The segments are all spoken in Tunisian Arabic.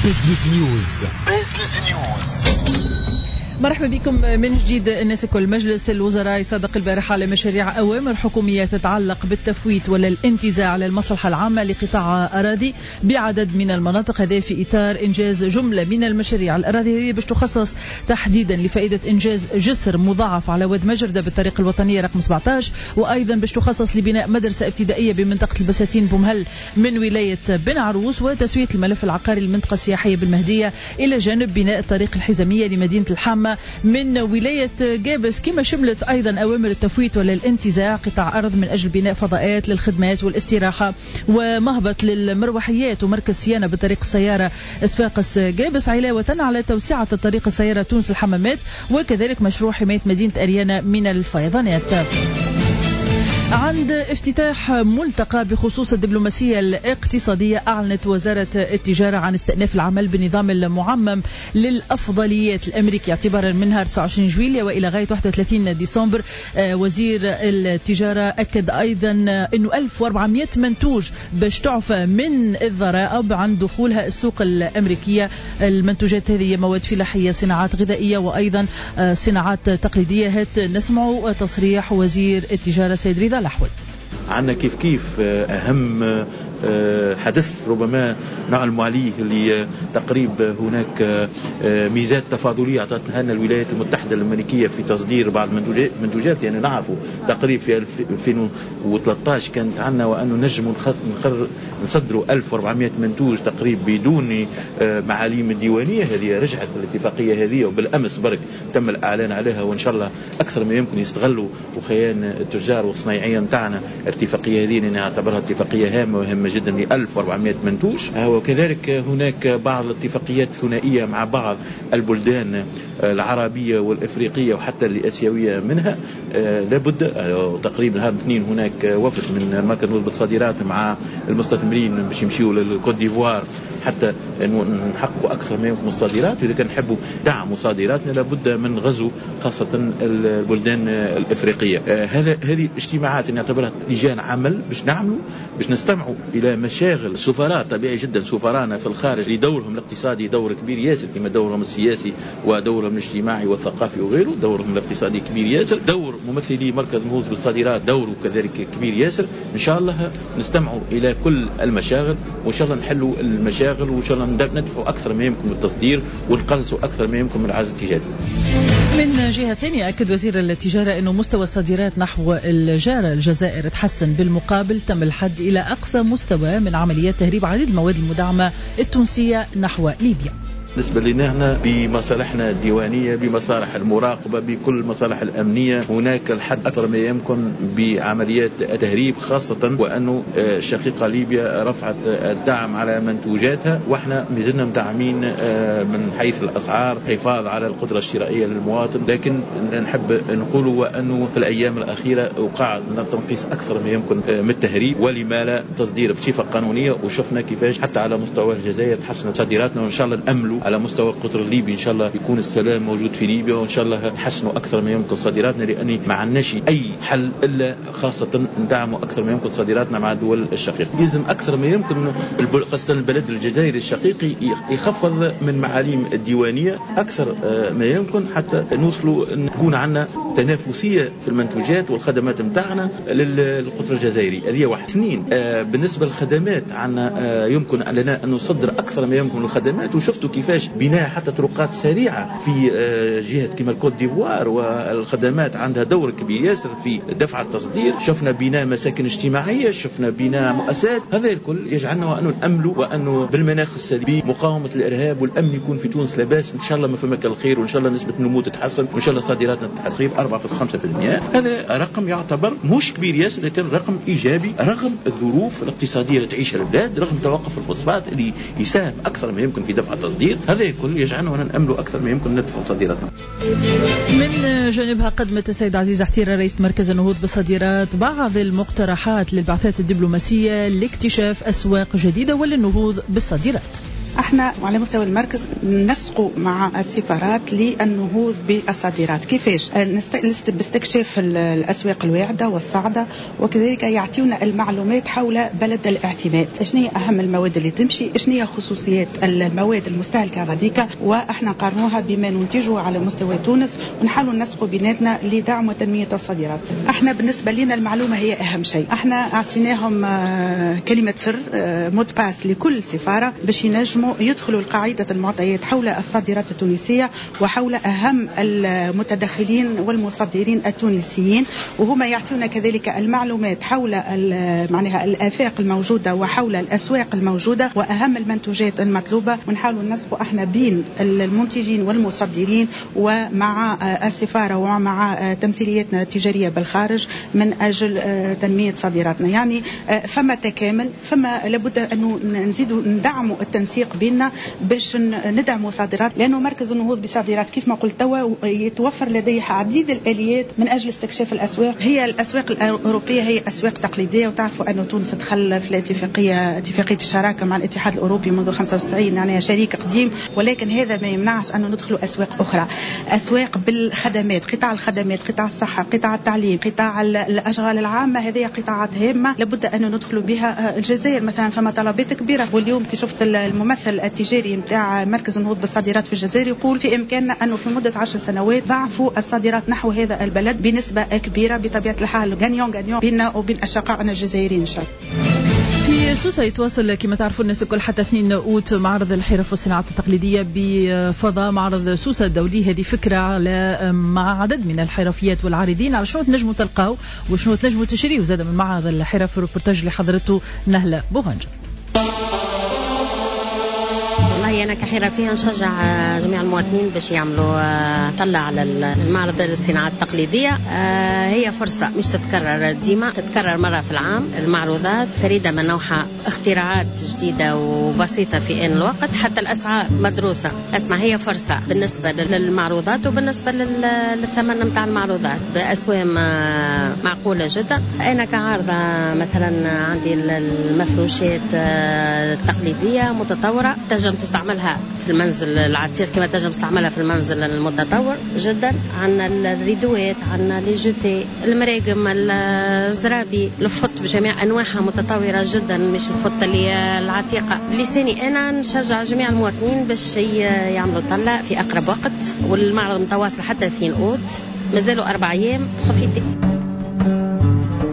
Business News. Business News. مرحبا بكم من جديد الناس الكل. مجلس الوزراء صادق البارحة على مشاريع أوامر حكومية تتعلق بالتفويت ولا الانتزاع للمصلحة العامة لقطاع أراضي بعدد من المناطق، هذا في إطار إنجاز جملة من المشاريع. الأراضي هذه باش تخصص تحديدا لفائدة إنجاز جسر مضاعف على واد مجردة بالطريق الوطنية رقم 17، وأيضا باش تخصص لبناء مدرسة ابتدائية بمنطقة البساتين بومهل من ولاية بن عروس، وتسوية الملف العقاري للمنطقة السياحية بالمهدية، إلى جانب بناء الطريق الحزامية لمدينة الحامة من ولاية جابس. كما شملت أيضا أوامر التفويت ولا الانتزاع قطاع أرض من أجل بناء فضاءات للخدمات والاستراحة ومهبط للمروحيات ومركز صيانة بطريق السيارة صفاقس جابس، علاوة على توسعة الطريق السيارة تونس الحمامات، وكذلك مشروع حماية مدينة أريانا من الفيضانات. عند افتتاح ملتقى بخصوص الدبلوماسية الاقتصادية، أعلنت وزارة التجارة عن استئناف العمل بالنظام المعمم للأفضليات الأمريكي اعتبارا من نهار 29 جويلية وإلى غاية 31 ديسمبر. وزير التجارة أكد أيضا أنه 1400 منتوج باش تعفى من الضرائب عن دخولها السوق الأمريكية. المنتوجات هذه مواد فلاحية، صناعات غذائية، وأيضا صناعات تقليدية. هات نسمع تصريح وزير التجارة سيد رضا الأحول. عندنا كيف كيف أهم حدث ربما نعلم عليه اللي تقريب هناك ميزات تفاضلية أعطتها لنا الولايات المتحدة الأمريكية في تصدير بعض المنتوجات. يعني نعرفوا تقريب في 2013 كانت عندنا وأنه نجم نصدروا 1400 منتوج تقريب بدون معاليم الديوانية. هذه رجعت الاتفاقية هذه وبالأمس برك تم الإعلان عليها، وإن شاء الله أكثر ما يمكن يستغلوا وخيان التجار والصنايعية نتاعنا الاتفاقية هذه، لأنها اعتبرها اتفاقية هامة وهامة جدا ل 1400 منتوج. وكذلك هناك بعض الاتفاقيات الثنائية مع بعض البلدان العربية والإفريقية وحتى الآسيوية منها. لابد تقريبا نهار الاثنين هناك وفد من مركز النهوض بالصادرات مع المستثمرين باش يمشيوا للكوت ديفوار حتى نحققوا أكثر ما يمكن الصادرات. وإذا كان نحبوا دعم صادراتنا لابد من غزو خاصة البلدان الإفريقية. هذه اجتماعات نعتبرها لجان عمل باش نعملوا باش نستمعوا إلى مشاغل سفراء. طبيعي جدا سفرانا في الخارج لدورهم الاقتصادي دور كبير ياسر، كما دورهم السياسي ودورهم الاجتماعي والثقافي وغيره، دورهم الاقتصادي كبير ياسر. دور ممثلي مركز النهوض بالصادرات دوره كذلك كبير ياسر. إن شاء الله نستمعوا إلى كل المشاغل، وإن شاء الله نحلوا المشاغل، وإن شاء الله ندفعوا أكثر ما يمكن بالتصدير ونقلصوا أكثر ما يمكن من العجز التجاري. من جهة ثانية، أكد وزير التجارة أنه مستوى الصادرات نحو الجارة الجزائر تحسن، بالمقابل تم الحد إلى أقصى مستوى من عمليات تهريب عديد المواد المدعمة التونسية نحو ليبيا. بالنسبة لنا احنا بمصالحنا الديوانية، بمصالح المراقبة، بكل المصالح الأمنية، هناك الحد أكثر ما يمكن بعمليات التهريب، خاصة وأنه الشقيقة ليبيا رفعت الدعم على منتوجاتها، وإحنا مازلنا مدعمين من حيث الأسعار، حفاظ على القدرة الشرائية للمواطن. لكن نحب نقول وأنه في الأيام الأخيرة وقع تنقيص أكثر ما يمكن من التهريب، ولما لا تصدير بصفة قانونية. وشفنا كيفاش حتى على مستوى الجزائر تحسنت صادراتنا، وإن شاء الله نأملوا على مستوى القطر الليبي إن شاء الله يكون السلام موجود في ليبيا، وإن شاء الله نحسنوا أكثر ما يمكن صادراتنا، لأن ما عندناش أي حل إلا خاصة ندعموا أكثر ما يمكن صادراتنا مع الدول الشقيقة. لازم أكثر ما يمكن خاصة البلد الجزائري الشقيقي يخفض من معاليم الديوانية أكثر ما يمكن، حتى نوصلوا نكون عندنا تنافسية في المنتوجات والخدمات نتاعنا للقطر الجزائري. هذه واحد. اثنين، بالنسبة للخدمات عندنا يمكن لنا أن نصدر أكثر ما يمكن الخدمات، وشفتوا كيف بناء حتى طرقات سريعة في جهة كما الكوت ديفوار، والخدمات عندها دور كبير ياسر في دفع التصدير. شفنا بناء مساكن اجتماعية، شفنا بناء مؤسسات. هذا الكل يجعلنا وأنه نأملوا وأنه بالمناخ السلبي مقاومة الإرهاب والأمن يكون في تونس لاباس إن شاء الله، ما فما الخير، وإن شاء الله نسبة النمو تتحسن، وإن شاء الله صادراتنا تتحسن 4.5%. هذا رقم يعتبر مش كبير ياسر، لكن رقم إيجابي رغم الظروف الاقتصادية اللي تعيشها البلاد، رغم توقف الفوسفات اللي يساهم أكثر ما يمكن في دفع التصدير. هذا الكل يجعلنا نأمل أكثر ما يمكن ندفع صادراتنا. من جانبها قدمت السيد عزيز حتيرة رئيس مركز النهوض بالصادرات بعض المقترحات للبعثات الدبلوماسية لاكتشاف أسواق جديدة وللنهوض بالصادرات. احنا على مستوى المركز نسقوا مع السفارات للنهوض بالصادرات. كيفاش؟ باستكشاف الاسواق الواعدة والصاعده، وكذلك يعطيونا المعلومات حول بلد الاعتماد، شنو هي اهم المواد اللي تمشي، شنو هي خصوصيات المواد المستهلكه غاديكا، واحنا نقارنوها بما ننتجه على مستوى تونس، ونحاولوا نسقوا بيناتنا لدعم وتنميه الصادرات. احنا بالنسبة لنا المعلومة هي اهم شيء. احنا اعطيناهم كلمة سر، mot de passe لكل سفارة باش ينجموا يدخلوا لقاعدة المعطيات حول الصادرات التونسية وحول أهم المتدخلين والمصدرين التونسيين، وهما يعطونا كذلك المعلومات حول معناها الآفاق الموجودة وحول الأسواق الموجودة وأهم المنتوجات المطلوبة، ونحاولوا ننسقوا احنا بين المنتجين والمصدرين ومع السفارة ومع تمثيلياتنا التجارية بالخارج من أجل تنمية صادراتنا. يعني فما تكامل، فما لابد أنه نزيدوا ندعموا التنسيق بيننا باش ندعموا صادرات، لأنه مركز النهوض بصادرات كيف ما قلت توا يتوفر لديه عديد الآليات من أجل استكشاف الأسواق. هي الأسواق الأوروبية هي أسواق تقليدية، وتعرفوا أن تونس دخل في الاتفاقية، اتفاقية الشراكة مع الاتحاد الأوروبي منذ 95، يعني شريك قديم، ولكن هذا ما يمنعش أنه ندخلوا أسواق أخرى، أسواق بالخدمات، قطاع الخدمات، قطاع الصحة، قطاع التعليم، قطاع الأشغال العامة، هذه قطاعات هامة لابد أن ندخلوا بها. الجزائر مثلا فما طلبات كبيرة، واليوم كي شفت الممثل التجاري نتاع مركز النهوض بالصادرات في الجزائر يقول في إمكاننا أنه في مدة 10 سنوات ضعفوا الصادرات نحو هذا البلد بنسبة كبيرة. بطبيعة الحال gagnant gagnant بيننا وبين أشقائنا الجزائريين إن شاء الله. في سوسة يتواصل كما تعرفوا الناس الكل حتى 2 أوت معرض الحرف والصناعات التقليدية بفضاء معرض سوسة الدولي. هذه فكرة على مع عدد من الحرفيات والعارضين على شنو تنجموا تلقاو وشنو تنجموا تشريوا زاد من معرض الحرف. الروبورتاج اللي حضرته نهلة بوغنجة. والله أنا كحرفية نشجع جميع المواطنين باش يعملوا طلع على المعرض الصناعات التقليدية. هي فرصة مش تتكرر ديما، تتكرر مرة في العام. المعروضات فريدة من نوعها، اختراعات جديدة وبسيطة في آن الوقت، حتى الأسعار مدروسة. اسمع، هي فرصة بالنسبة للمعروضات وبالنسبة للثمن نتاع المعروضات بأسوام معقولة جدا. أنا كعارضة مثلا عندي المفروشات التقليدية متطورة، تنجم تستعملها في المنزل العتيق كما تنجم تستعملها في المنزل المتطور جدا. عندنا الريدوات، عندنا les jetés، المراقم، الزرابي، الفط بجميع انواعها متطورة جدا، مش الفط اللي العتيقة. بلساني انا نشجع جميع المواطنين باش يعملوا طلة في اقرب وقت، والمعرض متواصل حتى 2 اوت، مازالوا 4 ايام. profitez.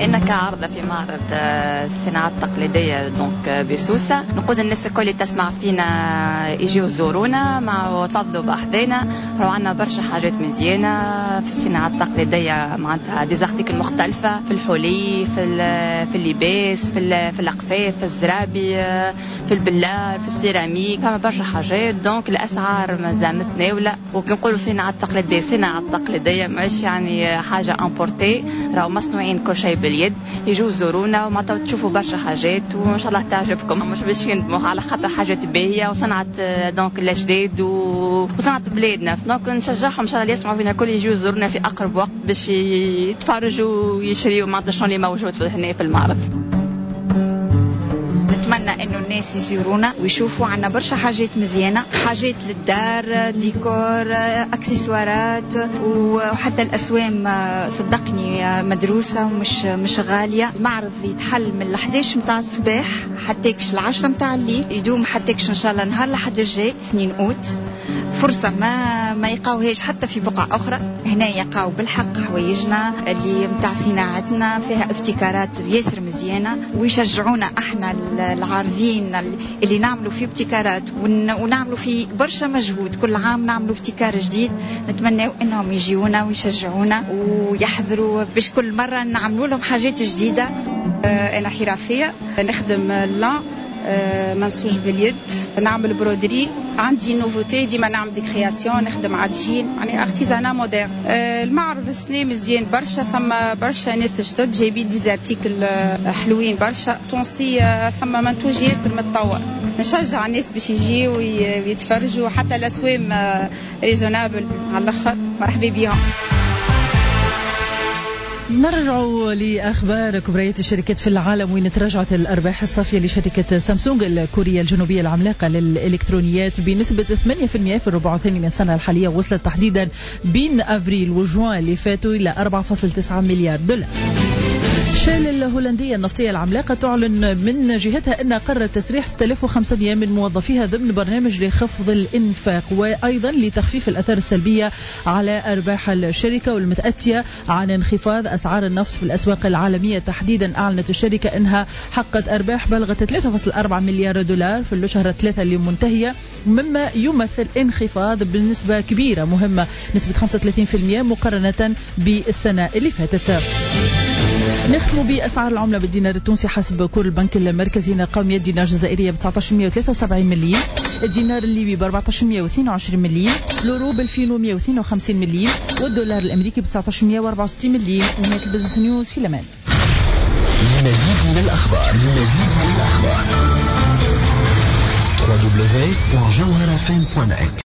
أنا كعارضة في معرض الصناعات التقليدية donc بسوسة، نقول الناس الكل اللي تسمع فينا يجيو يزورونا مع تفضلوا بأحذانا، راهو عندنا برشا حاجات مزيانة في الصناعات التقليدية، معناتها des articles مختلفة في الحلي، في اللباس، في الأقفاف، في الزرابي، في البلار، في السيراميك، فما برشا حاجات. donc الأسعار مازال متناولة، وكي نقولوا صناعة تقليدية، صناعة تقليدية ماهيش يعني حاجة importée، راهو مصنوعين كل شيء باليد. يجوا زورونا وما تشوفوا برشا حاجات وان شاء الله تعجبكم، مش باش يندموا على خاطر حاجات باهيه وصنعت donc الاجداد وصنعت بلادنا. donc نشجعهم ان شاء الله يسمعوا فينا الكل يجوا يزورونا في اقرب وقت باش يتفرجوا ويشريوا معناتها شنو اللي موجود هنا في المعرض. نتمنى انه الناس يزورونا ويشوفوا عنا برشا حاجات مزيانه، حاجات للدار، ديكور، اكسسوارات، وحتى الاسوام صدقني مدروسة ومش مش غالية. المعرض يتحل من 11 متاع الصباح حتى كش 10 متاع الليل، يدوم حتى كش ان شاء الله نهار لحد الجاي 2 اوت. فرصة ما يقاوهاش حتى في بقعة اخرى، هنا يقاو بالحق حوايجنا اللي متاع صناعتنا فيها ابتكارات ياسر مزيانه، ويشجعونا احنا العارضين اللي نعملوا في ابتكارات ونعملوا في برشا مجهود، كل عام نعملوا ابتكار جديد. نتمنى انهم يجيونا ويشجعونا ويحضروا باش كل مرة نعملوا لهم حاجات جديدة. انا حرفية نخدم lin منسوج باليد، نعمل broderie، عندي nouveauté ديما نعمل des créations، نخدم عجين، يعني artisanat moderne. المعرض السنة مزيان برشا، ثم برشا ناس جدد جايبين des articles حلوين برشا تونسية، ثم منتوج ياسر متطور. نشجع الناس باش يجيو ويتفرجوا، حتى الاسوام raisonnables على الاخر. مرحبا بهم. نرجع لأخبار كبريات الشركات في العالم، وين تراجعت الأرباح الصافية لشركة سامسونج الكورية الجنوبية العملاقة للإلكترونيات بنسبة 8% في الربع الثاني من السنة الحالية، وصلت تحديدا بين أفريل وجوان اللي فاتوا إلى 4.9 مليار دولار. شال الهولندية النفطية العملاقة تعلن من جهتها أن قررت تسريح 6500 من موظفيها ضمن برنامج لخفض الإنفاق وأيضا لتخفيف الأثار السلبية على أرباح الشركة والمتأتية عن انخفاض أسعار النفط في الأسواق العالمية. تحديدا أعلنت الشركة أنها حققت أرباح بلغت 3.4 مليار دولار في الشهر الثلاثة اللي منتهية، مما يمثل انخفاض بنسبة كبيرة مهمة نسبة 35% مقارنة بالسنة اللي فاتت. نختم بأسعار العملة بالدينار التونسي حسب cours البنك المركزي. نلقاو 100 دينار جزائرية ب 1973 مليم، الدينار الليبي ب 1422 مليم، الأورو ب 2152 مليم، والدولار الأمريكي ب 1964 مليم. نهاية ال Business News، في الأمان. لمزيد من الأخبار www.jawharafm.net.